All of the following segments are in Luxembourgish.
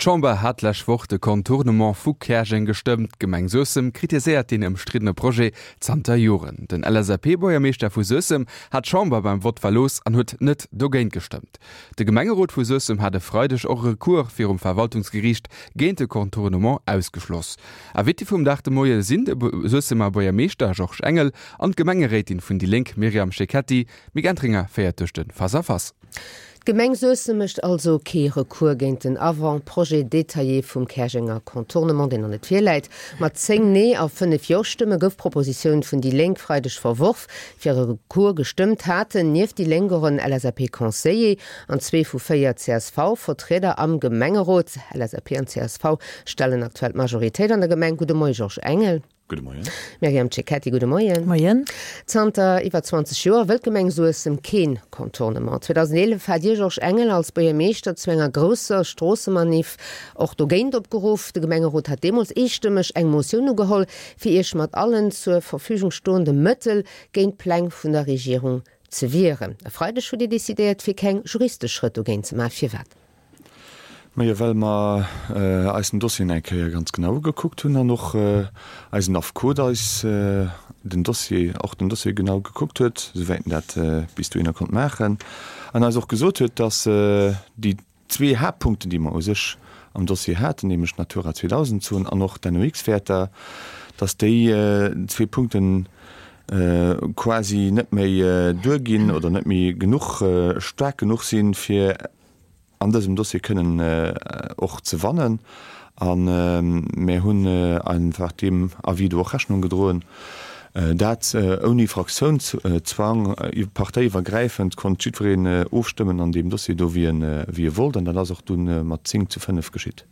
D'Chamber hat d'lescht Woch de Contournement vu Käerjeng gestëmmt. D'Gemeng Suessem kritiséiert deen ëmstriddene Projet zanter Joren. Den LSAP-Buergermeeschter vu Suessem hat d'Chamber beim Vott verlooss an huet net dogéint gestëmmt. De Gemengerot vu Suessem hat e Freideg och e Recours virum Verwaltungsgeriicht géint de Contournement ausgeschloss. Invité vum Dag de Moie sinn de Suessemer Buergermeeschter Georges Engel an d'Gemengeréitin vun déi Lénk Myriam Cecchetti. D'Mick Entringer féiert duerch de Face-à-Face. D'Gemeng Suessem mécht also kee Recours géint den Avant-projet détaillé vum Käerjenger Contournement, deen nach net virläit. Mat 10 Nee a 5 Jo-Stëmme gouf d'Propositioun vun déi Lénk Freideg verworf. Fir e Recours gestëmmt haten nieft déi Lénk och en LSAP-Conseiller an zwee vu 4 CSV-Vertrieder am Gemengerot. LSAP an csv stellen aktuell d'Majoritéit an der Gemeng. Gudde Moie Georges Engel. Gudde Moien. Myriam Cecchetti, gudde Moien. Moien. Zanter iwwer 20 Joer wëllt d'Gemeng Suessem keen Contournement. 2011 hat Dir, Georges Engel, als Buergermeeschter zu enger grousser Stroossemaniff och dogéint opgeruff. De Gemengerot hat deemools eestëmmeg eng Motioun ugeholl, fir Iech mat allen zur Verfügung stoende Mëttel géint d'Pläng vun der Regierung ze wieren. E Freideg hutt Dir decidéiert, fir keng juristesch Schrëtt dogéint ze maachen. Firwat? Majo, well mer eis den Dossier nach eng Kéier ganz genau ugekuckt hunn an och eisen Affekot eis den Dossier, och den Dossier genau gekuckt huet, souwäit en dat bis dohinner konnt maachen, an eis och gesot huet, dass déi zwee Haaptpunkten, déi mer u sech am Dossier haten, nämlech d'Natura 2000 Zon an och d'NOx-Wäerter, dass déi zwee Punkten quasi net méi duerginn oder net méi genuch staark genuch sinn, fir an dësem Dossier kënnen och ze wannen. A mir hunn einfach deem Avis do och Rechnung gedroen. Dat ouni Fraktiounszwang, parteiiwwergräifend konnt jiddwereen ofstëmmen an deem Dossier do, wéi e wollt. An dat ass och dunn mat 10 zu 5 geschitt.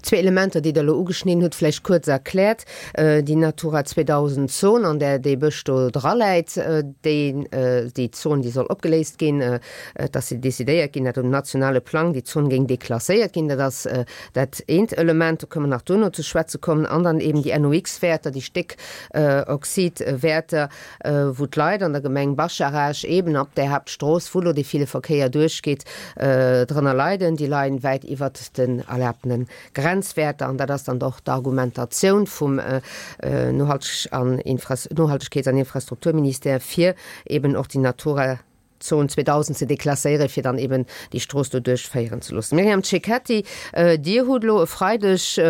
Zwee Elementer, déi Der elo ugeschnidden hutt, vläicht kuerz erkläert. Déi Natura 2000 Zon, an där dee Bësch do draläit, déi, déi Zon, déi soll opgeléist ginn. Et ass decidéiert ginn, dat um nationale Plang déi Zon géing deklasséiert ginn. Dat ass dat eent Element, do kënnen mer nach duerno ze schwätze kommen. An dann eben déi NOx-Wäerter, déi Stéckoxid-Wäerter, wou d'Leit an der Gemeng Bascharage eben ab där Haaptstrooss, wou elo dee ville Verkéier duerchgeet, drënner leiden. Déi leien wäit iwwert den erlaabtene Grenzwäerter. An dat ass dann och d'Argumentatioun vum Nohaltegkeets an Infrastrukturministère, fir eben och déi Natura Zon 2000 ze deklasséieren, fir dann eben déi Strooss do duerchféieren ze loossen. Myriam Cecchetti, Dir hutt elo e Freideg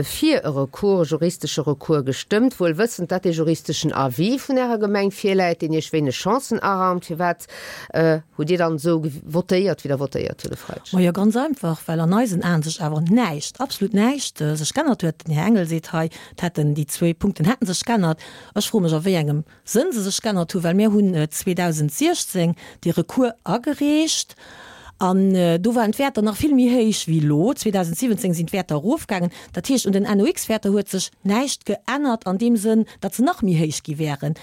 fir e Recours, e juristesche Recours gestëmmt, wuel wëssend, datt dee juristeschen Avis vun Ärer Gemeng virläit, deen Iech wéineg Chancen araumt. Firwat hutt Dir dann esou votéiert, wéi Der votéiert hutt e Freideg? Majo, ganz einfach, well an eisen Aen sech awer näischt, absolut näischt sech g'ännert huet. Den Här Engel seet hei, et hätten déi zwee Punkten hätten sech g'ännert. Ech froe mech, a wéi engem Sënn se sech g'ännert hu, well mir hunn 2016 dee Recours agereecht an do waren d'Wäerter nach vill méi héich wéi elo. 2017 sinn d'Wäerter erofgaangen. Dat heescht, un den NOx-Wäerter huet sech näischt geännert an deem Sënn, datt se nach méi héich gi wären.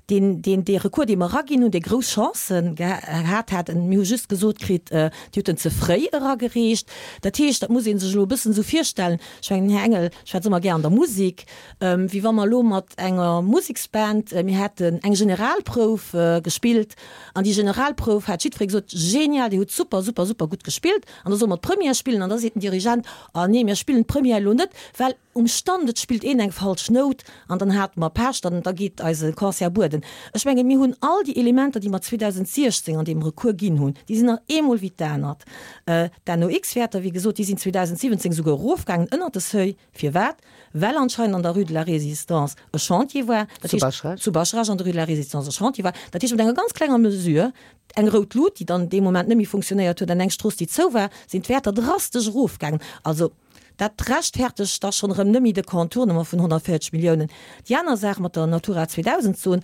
Deen, deen, dee Recours, dee mer eraginn hunn, dee grouss Chancen gehat hat, mir hu just gesot kritt, Dir hutt en ze fréi eragereecht. Dat heescht, dat muss ee sech elo e bëssen esou virstellen, ech mengen, den Här Engel schwätzt ëmmer gär an der Musek, Wéi wa mer elo mat enger Museksband, mir hätten eng Generalprouf gespillt an déi Generalprouf hat jiddweree gesot, genial, dir hutt super, super, super gutt gespillt an da solle mer d'Première spillen an da seet den Dirigent, ah nee, mir spillen d'Première elo net, well um Stand et spillt een eng falsch Nout an dann hate mer Pech, dann da geet eise Concert bueden. Ech mengen, mir hunn all déi Elementer, déi mer 2016 an deem Recours ginn hunn, déi sinn nach eemol wéi d'anert. D'NOx-Wäerter, wéi gesot, déi sinn 2017 esouguer erofgaangen ënnert de Seuil. Firwat? Well anscheinend an der Rue de la Résistance e Chantier war. Dat Zu heescht, Bascharage? zu Bascharage an der Rue de la Résistance e Chantier war. Dat heescht, mat enger ganz klenger Mesure, eng rout Lut, déi dann dee Moment net méi funktionéiert huet, an eng Strooss, déi zou war, sinn d'Wäerter drastesch erofgaangen. Also, dat rechtfertegt da schonn erëm net méi de Contournement vun 140 Milliounen. Déi aner Saach mat der Natura 2000 Zon,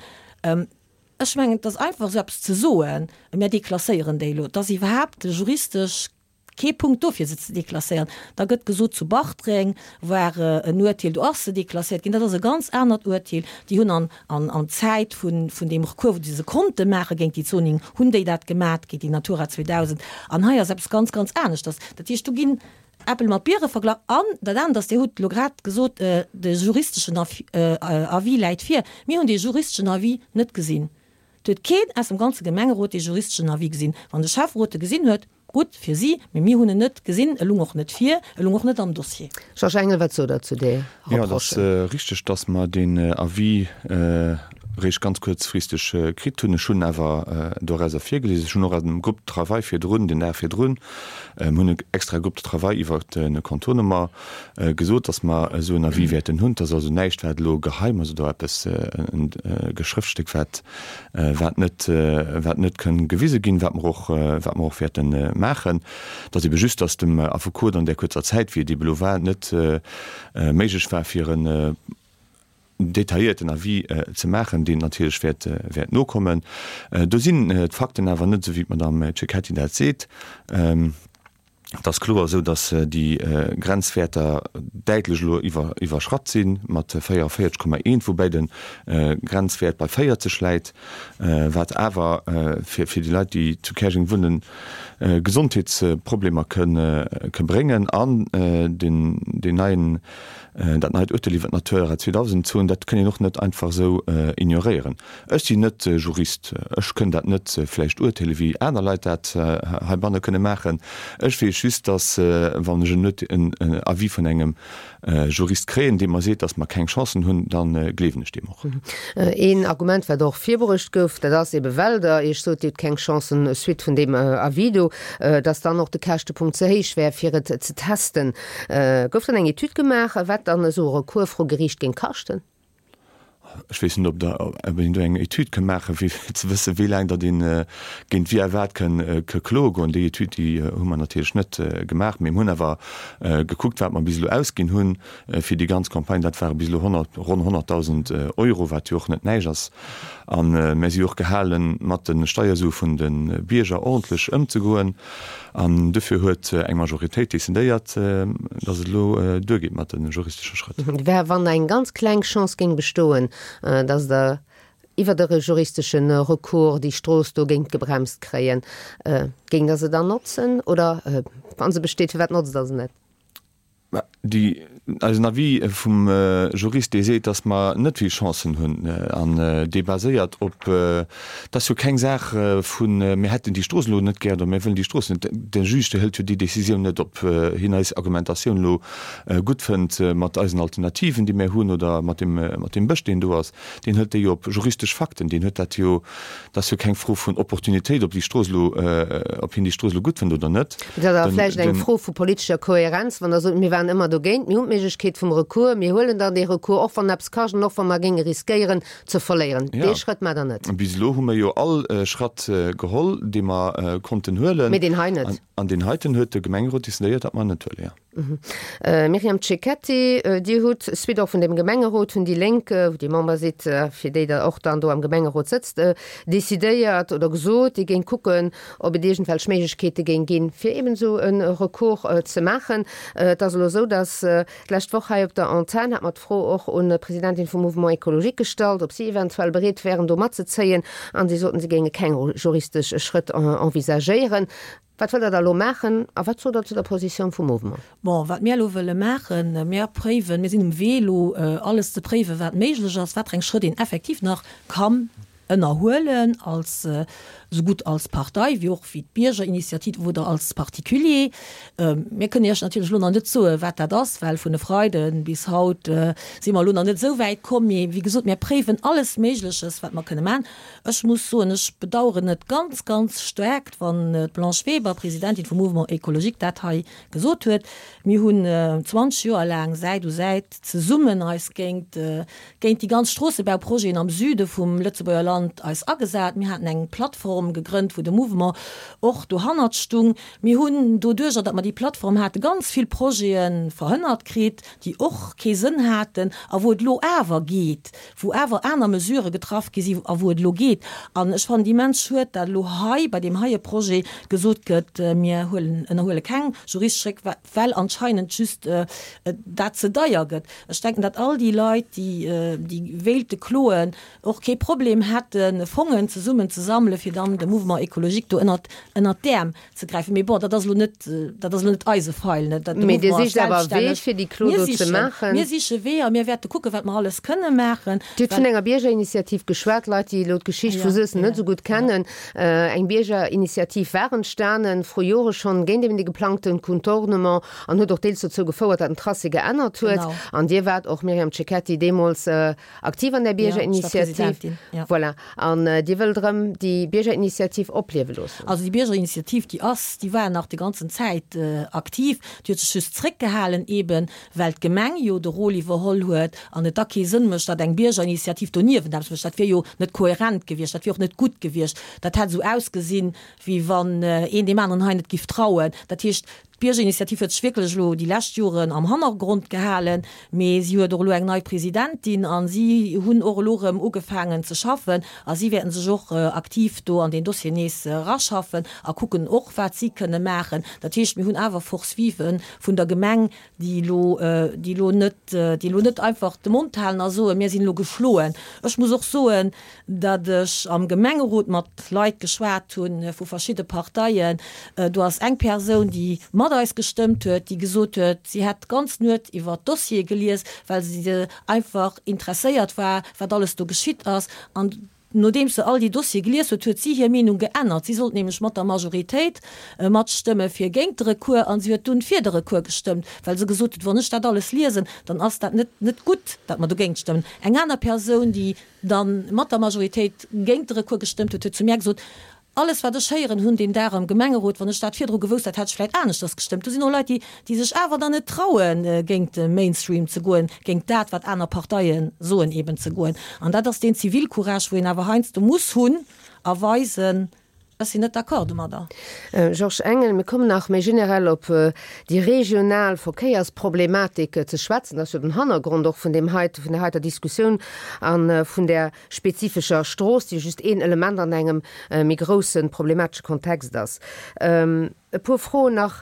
ech mengen, et ass einfach esou eppes ze soen, mir deklasséieren déi elo, et ass iwwerhaapt juristesch Kee Punkt do fir se ze deklasséieren. Da gëtt gesot, zu Bartreng war en Uerteel, do ass se deklasséiert ginn. Dat ass e ganz anert Uerteel. Déi hunn an an Zäit vun vun deem Recours, wou se se konnte maache géint déi Zoning, hunn déi dat gemat géint déi Natura 2000. An hei ass eppes ganz, ganz aneschters. Dat heescht, do ginn Äppel mat Biere verglach. An dat anert ass, Dir hutt elo grad gesot, de juristeschen Avis läit vir. Mir hunn dee juristeschen Avis net gesinn. Et huet keen aus dem ganze Gemengerot dee juristeschen Avis gesinn. Wann de Schäfferot e gesinn huet, gutt fir si, mee mir hunn en net gesinn, e lung och net vir, e lung och net am Dossier. Georges Engel, wat sot Der zu där Jo, et ass Reproche? richteg, dass mer deen Avis réischt ganz kuerzfristeg kritt hunn. Ech hunn awer dorauser virgelies. Ech hunn och am Groupe de travail virdrun, den Dag virdrun, mir hunn e extrae Groupe de travail iwwert de Contournement, gesot, dass mer esou en Avis wäerten hunn. Et ass also näischt, wat elo geheim ass oder eppes, e Schrëftstéck, wat, wat net, wat net kënn gewise ginn, wat mer och, wat mer och wäerte maachen. Et ass ebe just, dass dem Affekot an där kuerzer Zäit, wéi et ebe elo war, net méiglech war, fir en detailléierten Avis ze maachen, deen natierlech wäert, wäert nokommen. Do sinn d'Fakten awer net esou, wéi d'Madame Cecchetti dat seet. Et ass kloer esou, datt déi Grenzwäerter däitlech elo iwwerschratt si mat 44,1, woubäi de Grenzwäert bei 40 läit, wat awer fir déi Leit, déi zu Käerjeng wunnen, Gesondheetsproblemer ke bréngen. An deen neien, dat neit Urteel iwwer d'Natura 2000 Zon, dat kënn een och net einfach esou ignoréieren. Ech sinn net Jurist, ech kënn dat net vläicht urteele wéi aner Leit dat heibanne kënne maachen. Ech weess just, datt wann ech en Avis vun engem Jurist kréien, dee mer seet, datt mer keng Chancen hunn, da gleewen ech deem och. Een Argument, wat och virbruecht gouf, dat ass ebe well Der Iech sot, Dir hutt keng Chancen suite vun deem Avis do, datt dann och de Käschtepunkt ze héich wär, fir et ze testen. Gouf dann eng Etüd gemaach, wat dann esou e Recours vru Geriicht géing kaschten? Ech weess net, ob der, ob een do eng Etüd ka maachen, fir ze wëssen, wéi laang datt ee géint wie a wat kënn ke kloe goen. Déi Etüd, déi hu mer natierlech net gemaach, mee mir hunn awer gekuckt, wat mer bis elo ausginn hunn fir déi ganz Campagne. Dat ware bis elo 100, ronn 100.000 Euro, wat jo och net näischt ass. A mir si jo och gehalen, mat de Steiersue vun de Bierger ordentlech ëmzegoen. An dofir huet eng Majoritéit decidéiert, datt et elo duergeet mat de juristesche Schrëtt. Wär, wann eng ganz kleng Chance géing bestoen, datt Der iwwert e juristesche Recours déi Strooss do géingt gebremst kréien, géingt Der se dann notzen? Oder wa se besteet, firwat notzt Der se net? Mä déi, eisen Avis vum Jurist, dee seet, datt mer net vill Chancen hunn, an dee baséiert op, et ass jo keng Saach vu mir hätten déi Strooss elo net gär oder mir wëllen déi Strooss net. De Juge, dee hëlt jo déi Décisioun net, ob hien eis Argumentatioun elo gutt fënnt mat eisen Alternativen, déi mir hunn, oder mat deem, mat deem Bësch, deen do ass. Deen hëlt déi jo op juristesch Fakten. Deen huet dat jo Dat ass jo keng Fro vun Opportunitéit, ob déi Strooss elo, ob hien déi Strooss elo gutt fënnt oder net. Dat ass awer vläicht eng Fro vu politescher Kohärenz, wann Der sot, mir waren ëmmer dogéint, mir hunn d'Méiglechkeet vum Recours, mir huelen dann dee Recours, och wann eppes kascht an och wa mer géinge riskéieren ze verléieren. Dee Schrëtt maacht Der net. Bis elo hu mer jo all Schratt geholl, dee mer konnten huelen. Mee deen hei net. An deen heiten huet de Gemengerot decidéiert, datt mer en net huelen, jo. Myriam Cecchetti, Dir hutt, suite och vun dem Gemengerot vun déi Lénk, wou Dir Member sidd, fir déi Der och dann do am Gemengerot sëtzt, decidéiert oder gesot, Dir géingt kucken, ob et iergendwelch Méiglechkeete géing ginn, fir eben esou e Recours ze maachen. Et ass elo esou, datt d'lescht Woch hei op der Antenn hat mer d'Fro och un d'Presidentin vum Mouvement écologique gestallt, ob si eventuell bereet wären, do matzezéien, an si soten, si géinge keng juristesch Schrëtt envisagéieren. Wat wëllt Der da elo maachen a wat sot Der zu der Positioun vum Mouvement? Bon, wat mir elo wëlle maachen, mir préiwen, mir sinn um Wee elo alles ze préiwen, wat méiglech ass, wat fir eng Schrëtt een effektiv nach kann ënnerhuelen als, esougutt als Partei wéi och wéi d'Biergerinitiativ oder als Particulier. Mir kënnen Iech natierlech elo nach net soen, wat dat ass, well vun e Freide bis haut si mer elo nach net esou wäit komm. Mee wéi gesot, mir préiwen alles Méigleches, wat mer kënne maachen. Ech muss soen, ech bedauern et ganz, ganz staark, wann d'Blanche Weber, Presidentin vum Mouvement écologique, dat hei gesot huet. Mir hunn 20 Joer laang Säit u Säit zesummen eis géint, géint déi ganz Stroossebauprojeten am Süde vum Lëtzebuerger Land eis agesat. Mir haten eng Plattform gegrënnt, wou de Mouvement och dohannert stung. Mir hunn doduerjer, datt mer déi Plattform haten, ganz vill Projete verhënnert kritt, déi och kee Sënn haten a wou et elo awer geet, wou awer aner Mesurë getraff gi si a wou et elo geet. An ech fannen et immens schued, dat elo hei bei deem heie Projet gesot gëtt, mir huelen, ënnerhuele keng juristesch Réck, well anscheinend just dat ze deier gëtt. Ech denken, dat all déi Leit, déi, déi wéilte kloen, och kee Problem hätten, Fongen zesummen ze sammelen, fir dann. drëm, dem Mouvement écologique do ënnert, ënnert d'Äerm ze gräifen. Mee bon, dat ass elo net, dat ass elo net eise Feil, ne. Dat, de Mee Dir Mouvement ass sicht awer Wee, selbststänneg. fir déi Klo Mir do ze sichen, maachen. mir siche Weeër, mir wäerte kucken, wat mer alles kënne maachen, Dir hutt well. vun enger Biergerinitiativ geschwat, Leit, déi elo d'Geschicht vu Ja, Suessem net ja, esou gutt ja. kennen. Eng Biergerinitiativ war entstanen, vru Jore schonn, géint eben dee geplangte Contournement an huet och deels dozou gefouert, datt den Tracé geännert huet. Genau. An Dir waart och, Myriam Cecchetti, deemools aktiv an där Ja, ech war Biergerinitiativ. Presidentin, ja. Voilà. An Dir wëllt erëm déi Biergerinitiativ opliewe loossen? Also déi Biergerinitiativ, déi ass, déi war nach déi ganzen Zäit aktiv. Déi huet sech just zréckgehalen eeben, well d'Gemeng jo de Rôle iwwerholl huet an et da kee Sënn mécht, datt eng Biergerinitiativ doniewent eppes mécht. Dat wier jo net kohärent gewiescht, dat wier och net gutt gewiescht. Dat hätt esou ausgesinn, wéi wann een deem aneren hei net giff trauen. Dat heescht, d'Biergerinitiativ huet sech wierklech elo déi lescht Joren am Hannergrond gehalen, mee si huet och elo eng nei Presidentin a si hunn och elo erëm ugefaangen ze schaffen a si wäerten sech och aktiv do an deen Dossier nees eraschaffen a kucken och, wat si kënne maachen. Dat heescht, mir hunn awer Force vive vun der Gemeng, déi elo, déi elo net, déi elo net einfach de Mond halen a soen, mir sinn elo geschloen. Ech muss och soen, datt ech am Gemengerot mat Leit geschwat hu vu verschidde Parteien. Do ass eng Persoun, déi mat eis gestëmmt huet, déi gesot huet, si hätt d'ganz Nuet iwwer d'Dossiere gelies, well se einfach interesséiert war, wat alles do geschitt ass. An Nodeems se all déi Dossiere gelies huet, huet si hir Meenung geännert. Si sollt nämlech mat der Majoritéit matstëmme fir géint de Recours an si huet dunn fir de Recours gestëmmt, well se gesot huet, wann ech dat alles liesen, dann ass dat net net gutt, datt mer dogéint stëmmen. Eng aner Persoun, déi da mat der Majoritéit géint de Recours gestëmmt huet, huet zu mär gesot, Alles wat ech héieren hunn deen Dag am Gemengerot, wann ech dat virdru gewousst hätt, hätt ech vläit aneschters gestëmmt. Do sinn och Leit, déi, déi sech awer dann net trauen, géint de Mainstream ze goen, géint dat, wat aner Parteie soen, eben ze goen. An dat ass deen Zivilcourage, wou een awer heiansdo muss hunn a weisen, Ech sinn net d'accord domadder. Georges Engel, Mir kommen nach méi generell op déi regional Verkéiersproblematik ze schwätzen. Dat ass jo den Hannergrond och vun deem heite, vun där heiter Diskussioun a vun där spezifescher Strooss, déi just een Element an engem méi grousse problematesche Kontext ass. E puer Froen nach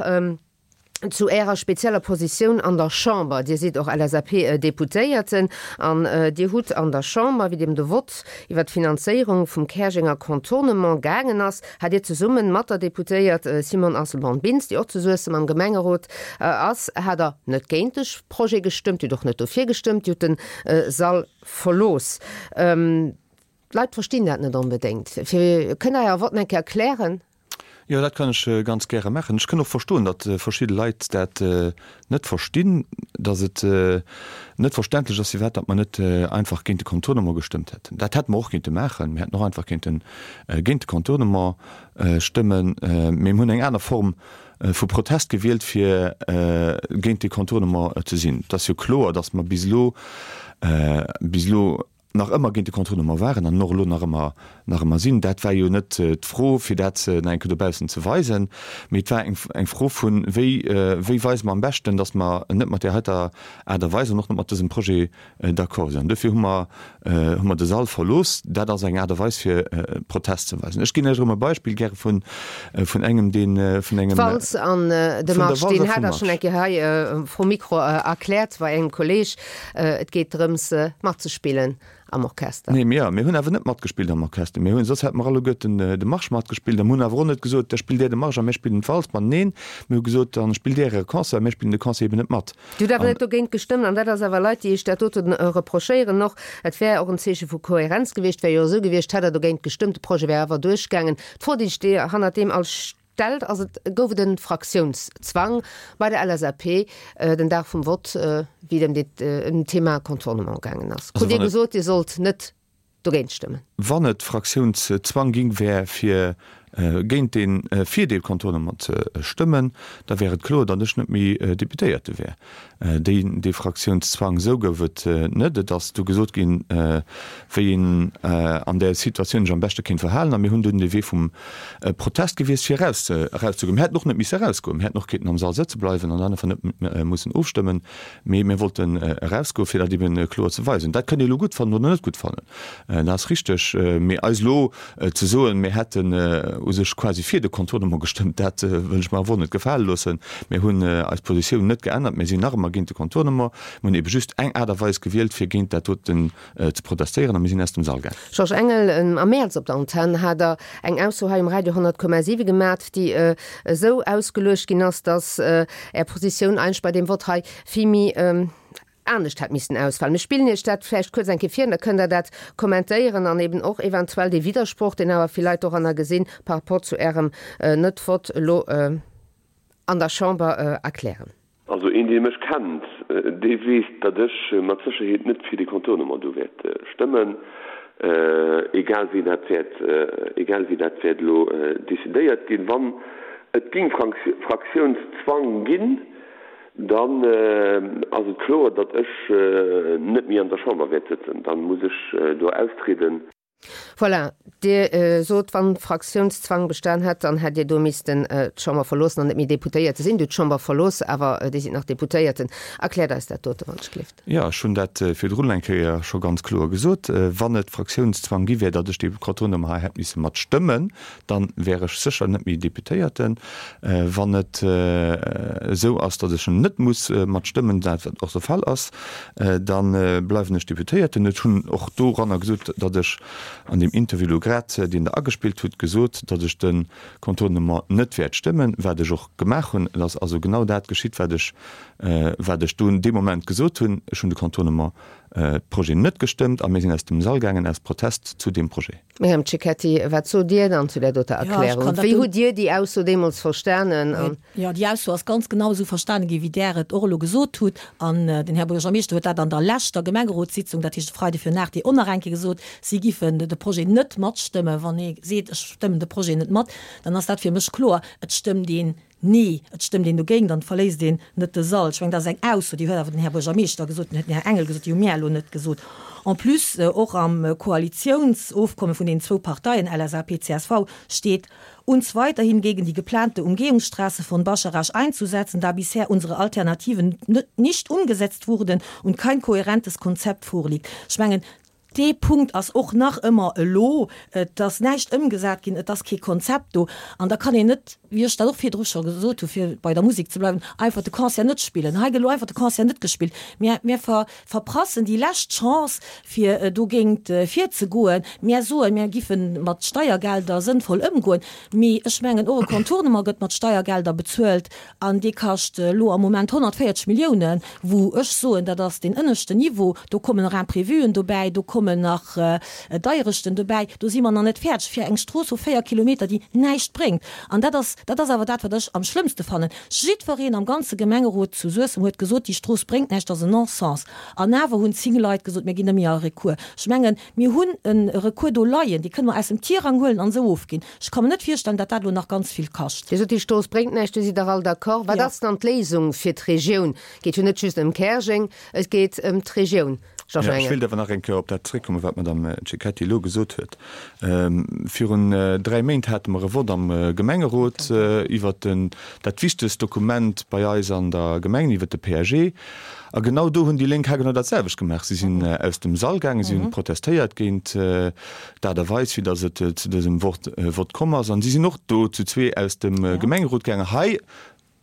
zu Ärer spezieller Positioun an der Chamber. Dir sidd och LSAP-Deputéierten an Dir hutt an der Chamber, wéi et ëm de Vott iwwer d'Finanzéierung vum Käerjenger Contournement gaangen ass, hat Dir zesumme mat der Deputéiert Simone Asselborn-Bintz, déi och zu Suessem am Gemengerot ass, hat Der net géint de Projet gestëmmt, Dir hutt och net dofir gestëmmt, Dir hutt de Sall Verlooss. D'Leit verstinn dat net onbedéngt. Fir, kënnt Der Är Votten eng Kéier erklären? Jo, dat kann ech ganz gäre maachen. Ech kënn och verstoen, datt verschidde Leit dat net verstinn, datt et net verständlech ass, firwat datt mer net einfach géint de Contournement gestëmmt hätten. Dat hätte mer och kéinte maachen. Mir hätten och einfach kéinte géint de Contournement stëmmen. Mee mir hunn eng aner Form vu Protest gewielt, fir géint dee Contournement ze sinn. Et ass jo kloer, datt mer bis elo, bis elo nach ëmmer géint de Contournement waren an och elo nach ëmmer, nach ëmmer sinn. Dat war jo net d'Fro, fir dat nach eng Kéier dobaussen ze weisen, mee et war eng, eng Fro vun, wéi, wéi weise mer am beschten, datt mer net mat där heiter Aart a Weis an och net mat dësem Projet d'accord sinn. An dofir hu mer, hu mer de Sall verlooss. Dat ass eng Aart a Weis fir Protest ze weisen. Ech ginn lech erëm e Beispill gäre vun, vun engem, deen, vun engem. D'Walz an de Marsch, deen hat Der schonn eng Kéier hei vrum Mikro erkläert bei engem Kolleeg. Et geet drëms matzespillen am Orchester. Nee, mir, mir hunn awer net matgespillt am Orchester. Mir hunn, soss hätte mer alleguerten de Marsch matgespillt a mir hunn awer och net gesot, da spillt Där de Marsch a mir spillen d'Walz. Ma neen, mir hu gesot, dann spillt Där Äre Concert a mir spillen de Concert eben net mat. Dir hutt awer net dogéint gestëmmt, an dat ass awer Leit, déi Iech dat dote reprochéieren och. Et wär och en Zeeche vu Kohärenz gewiescht, wär jo esou gewiescht, hätt Der dogéint gestëmmt, de Projet wär awer duerchgaangen. D'Fro, déi sech hannert deem all stellt, ass et, Gouf et e Fraktiounszwang bei der LSAP den Dag vum Vott, wéi et ëm d'Thema Contournement gaangen ass? Krut Dir gesot, Dir sollt net dogéint stëmmen. Wann et Fraktiounszwang ging wär fir géint dee fir dee Contournement ze stëmmen, da wär et kloer, datt ech net méi Deputéierte wär. Déi dee Fraktiounszwang esou gouf et net. Et ass du gesot ginn, wéi een an där Situatioun sech am beschte kéint verhalen a mir hunn dunn de Wee vum Protest gewiesst fir eraus erauszegoen. Mir hätten och net misse erausgoen, mir hätten och kéinten am Sall sëtze bleiwen an dann einfach net mussen ofstëmmen. Mee mir wollten erausgoen, fir dat eben kloer ze weisen. Dat kënnt Dir elo gutt fannen oder net gutt fannen, dat ass richteg. Mee eis elo ze soen, mir hätten. u sech quasi fir de Contournement gestëmmt. Dat wëll ech mer awer och net gefale loossen. Mir hunn eis Positioun net geännert. Mir sinn nach ëmmer géint de Contournement. Mir hunn ebe just eng Aart a Weis gewielt, fir géint dat doten ze protestéieren, a mir sinn aus dem Sall gaang. Georges Engel, Am Mäerz op der Antenn hat Der eng Ausso hei um Radio 100,7 gemat, déi esou ausgeluecht ginn ass, datt Är Positioun eigentlech bei deem Vott hei vill méi anescht hätt missen ausfalen. Mir spillen Iech dat vläicht kuerz eng Kéier vir an da kënnt Der dat kommentéieren an eben och eventuell dee Widdersproch, deen awer vill Leit doranner gesinn, par rapport zu Ärem Net-Vott elo an der Chamber erklären. Also een, dee mech kennt, dee weess, datt ech mat Sécherheet net fir dee Contournement do wäert stëmmen, egal wéi dat wäert, egal wéi dat wäert elo decidéiert ginn. Wann et ging Fraktiounszwang ginn, Dann ass et kloer, datt ech net méi an der Chamber wäert sëtzen. Dann muss ech do austrieden. Voilà, Dir sot, wann Fraktiounszwang bestan hätt, dann hätt Dir do missten d'Chamber verloossen an net méi Deputéierte sinn. Dir hutt d'Chamber verlooss, awer Dir sidd nach Deputéierten. Erkläert eis dat dote, wann ech gleeft. Jo, ech hunn dat virdrun eng Kéier scho ganz kloer gesot. Wann et Fraktiounszwang gi wär, datt ech dee Contournement hei hätt misse mat stëmmen, Dann wär ech sécher net méi Deputéierten. Wann et esou ass, datt ech net muss mat stëmmen, dat wat och de Fall ass, da bleiwen ech Deputéierten. Ech hunn och doranner gesot, datt ech an deem Interview elo grad, deen Der agespillt hutt, gesot, datt ech de Contournement net wäert stëmmen, wat ech och gemaach hunn. Et ass also genau dat geschitt, wat ech, wat ech do dee Moment gesot hunn. Ech hunn de Contournement, Projet net gestëmmt a mir sinn aus dem Sall gaangen aus Protest zu deem Projet. Myriam Cecchetti, wat sot Dir dann zu där doter Erklärung? Wéi hutt Dir déi Ausso deemools verstanen? Jo, déi Ausso ass ganz genau esou verstane ginn, wéi Där et och elo gesot hutt. An den Här Buergermeeschter huet dat an der leschter Gemengerotssitzung, dat heescht e Freide virun 8, och nach eng Kéier gesot, si giffen de Projet net matstëmmen. Wann ee seet, ech stëmmen de Projet net mat, dann ass dat fir mech kloer, et stëmmt een Nee, et stëmmt een dogéint an et verléisst een net de Sall. Ech mengen, dat ass eng Ausso, déi huet awer den Här Buergermeeschter gesot, den huet den Här Engel gesot, déi hu mir elo net gesot. En plus, och am Koalitiounsofkomme vun deenen zwou Parteien, LSAP, csv, steet, uns weiterhin gegen die geplante Umgehungsstraße von Bascharage einzusetzen, da bisher unsere Alternativen nicht umgesetzt wurden und kein kohärentes Konzept vorliegt. Ech mengen, Dee Punkt ass och nach ëmmer elo, et ass näischt ëmgesat ginn, et ass kee Konzept do. An da kann een net, wéi ech dat och virdru scho gesot hu fir bei der Musek ze bleiwen, einfach de Concert net spillen. Hei gëtt elo einfach de Concert net gespillt. Mir, mir ver, verprassen déi lescht Chance, fir dogéint virzegoen. Mir soen, mir giffe mat Steiergelder sënnvoll ëmgoen. Mee ech mengen, och e Contournement gëtt mat Steiergelder bezuelt. An dee kascht elo am Moment 140 Milliounen, wou ech soen, dat ass deen ënneschten Niveau. Do kommen nach Imprévuen dobäi, do kommen nach Deierechten dobäi. Do si mer nach net fäerdeg fir eng Strooss vu 4 Kilometer, déi näischt bréngt. An dat ass, dat ass awer dat, wat ech am schlëmmste fannen. Jiddwereen am ganze Gemengerot zu Suessem huet gesot, déi Strooss bréngt näischt, dat ass en Non-sens. An awer hunn 10 Leit gesot, mir ginn net méi a Recours. Ech mengen, mir hunn e Recours do leien, dee kënne mer aus dem Tirang huelen an esou ofginn. Ech ka mer net virstellen, datt dat elo nach ganz vill kascht. Dir sot, déi Strooss bréngt näischt, do sidd Der all d'accord. Wat ass dann d'Léisung fir d'Regioun? Et geet jo net just ëm Käerjeng, et geet ëm d'Regioun. Georges Engel. Ech wéilt awer nach eng Kéier op dat zréckkommen, wat d'Madame Cecchetti elo gesot huet. Virun 3 Méint hate mer e Vott am Gemengerot iwwert dat wichtegst Dokument bei eis an der Gemeng, iwwert de PAG. A genau do hunn déi Lénk haargenau dat selwecht gemaach. Si sinn aus dem Sall gaangen, si hunn protestéiert géint d'Aart a Weis, wéi datt et zu dësem Vott komm ass. An si sinn och do zu zwee aus dem Gemengerot gaangen. Hei,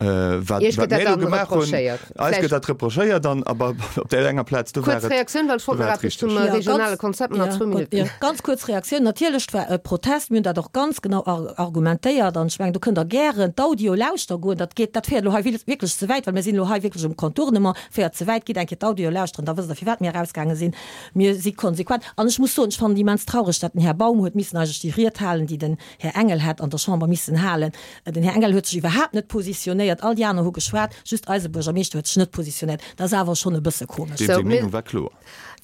wat Iech gëtt dat mir do dann gemaach hunn, reprochéiert. eis gëtt dat reprochéiert. An awer op där enger Plaz, do war Kuerz et, Reaktioun, well ech do wollt war nach et eppes richteg. zum Ja, ganz, regionale Konzept nach ja, zwou gutt, Minutten. ja, ganz kuerz Reaktioun. Natierlech, et war e Protest. Mir hunn dat och ganz genau argumentéiert. An ech mengen, do kënnt Der gären d'Audio lauschter goen. Dat geet, dat féiert elo hei wierklech ze wäit, well mir sinn elo hei wierklech um Contournement. Féiert ze wäit. Gitt eng Kéier d'Audio lauschteren, da wësst Der, firwat mir erausgaange sinn. Mir si konsequent. An ech muss soen, ech fannen et immens traureg, datt den Här Baum huet missen eigentlech déi Ried halen, déi den Här Engel hätt an der Chamber missen halen. Den Här Engel huet sech iwwerhaapt net positionéiert. All déi aner hu geschwat, just eise Buergermeeschter huet sech net positionéiert. Dat ass awer schonn e bësse komesch. Deem seng Meenung war kloer.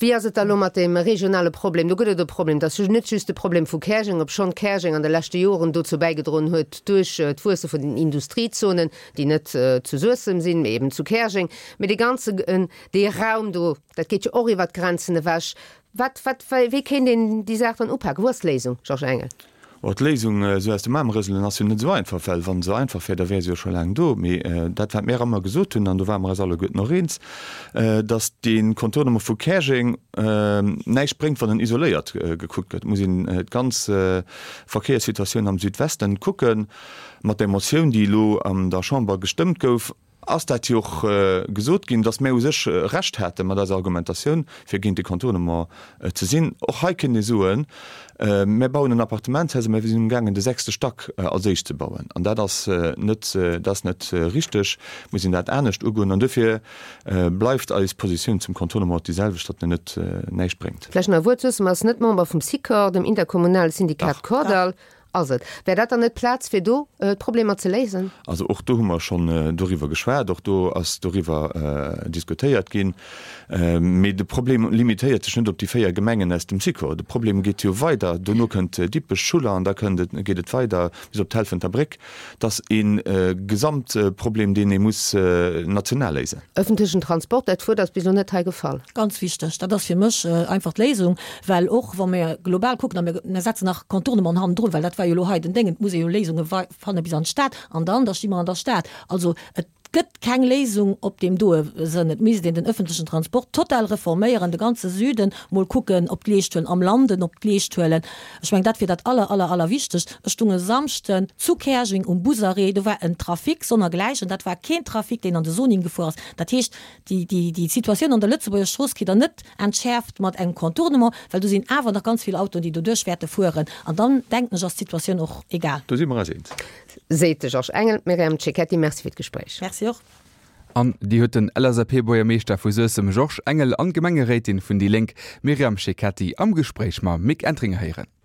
Wéi ass et da elo mat deem regionale Problem? Do gëtt et e Problem. Dat ass net just de Problem vu Käerjeng, obschonn Käerjeng an de leschte Joren dozou bäigedroen huet duerch d'Wuesse vun den Industriezonen, déi net zu Suessem sinn, mee eben zu Käerjeng, mee dee ganze, dee Raum do, Dat geet jo och iwwert d'Grenzen ewech. Wat, wat, wéi kéint een déi Saach dann upaken? Wou ass d'Léisung, Georges Engel? Oh, d'Léisung esou aus dem Aarm rëselen ass jo net esou einfach, well wann se esou einfach wär, da wär se jo scho laang do. Mee dat, wat mär ëmmer gesot hunn, an do ware mer eis alleguerten och eens, datt dee Contournement vu Käerjeng näischt bréngt, wann en isoléiert gekuckt gëtt. Et muss een d'ganz Verkéierssituatioun am Südwesten kucken. Mat där Motioun, déi elo an der Chamber gestëmmt gouf, ass dat jo och gesot ginn, dass mär u sech Recht hate mat eiser Argumentatioun, fir géint de Contournement ze sinn. Och hei kënnt ee soen, Mär bauen en Appartementshaus a mär sinn umgaangen, de sechste Stack als éischt ze bauen. An dat ass net, dat ass net richteg. Et muss een dat anescht ugoen. An duerfir bleift eis Positioun zum Contournement déi selwecht, datt en net näischt bréngt. Vläicht nach e Wuert, Suessem ass net Member vum Sikor, dem interkommunale Syndikat Kordall. Ass et? Wär dat dann net d'Plaz, fir do d'Problemer ze léisen? Also och do hu mer schonn doriwwer geschwat, och do ass doriwwer diskutéiert ginn. Mee de Problem limitéiert sech net op déi 4 Gemengen aus dem Sikor. De Problem geet jo weider. Dono kënnt Dippech, Schuller an da kënnt et, geet et weider bis op d'Helfenter Bréck. Et ass e Gesamtproblem, deen ee muss national léisen. Ëffentlechen Transport, dat Wuert ass bis elo net hei gefall. Ganz wichteg, dat ass fir mech einfach d'Léisung, well och wa mir global kucken, a mir mir setzen nach Contournement hannendrun, well dat war jo elo hei den Déngen, et muss ee jo Léisunge fanne bis an d'Stad an dann, da sti mer an der Stad. Also et gëtt keng Léisung op deem doe Sënn. Et misst een den ëffentlechen Transport total reforméieren, de ganze Süden mol kucken op d'Leescht huelen, am Landen op d'Leescht huelen. Ech mengen, dat wier dat aller, aller, allerwichtegst. Ech stung e Samschden zu Käerjeng um Busarrêt, do war en Trafic sonnergläichen, dat war keen Trafic, deen an de Soning gefuer ass. Dat heescht, déi, déi, déi Situatioun an der Lëtzebuerger Strooss kritt Der net entschäerft mat engem Contournement, well do sinn awer nach ganz vill Autoen, déi doduerch wäerte fueren. An dann, denken ech, ass d'Situatioun och egal. Do si mer eis eens. Seet de Georges Engel. Myriam Cecchetti, Merci fir d'Gespréich. Merci och. An déi huet den LSAP-Buergermeeschter vu Suessem Georges Engel an d'Gemengeréitin vun déi Lénk Myriam Cecchetti am Gespréich mam Mick Entringer héieren.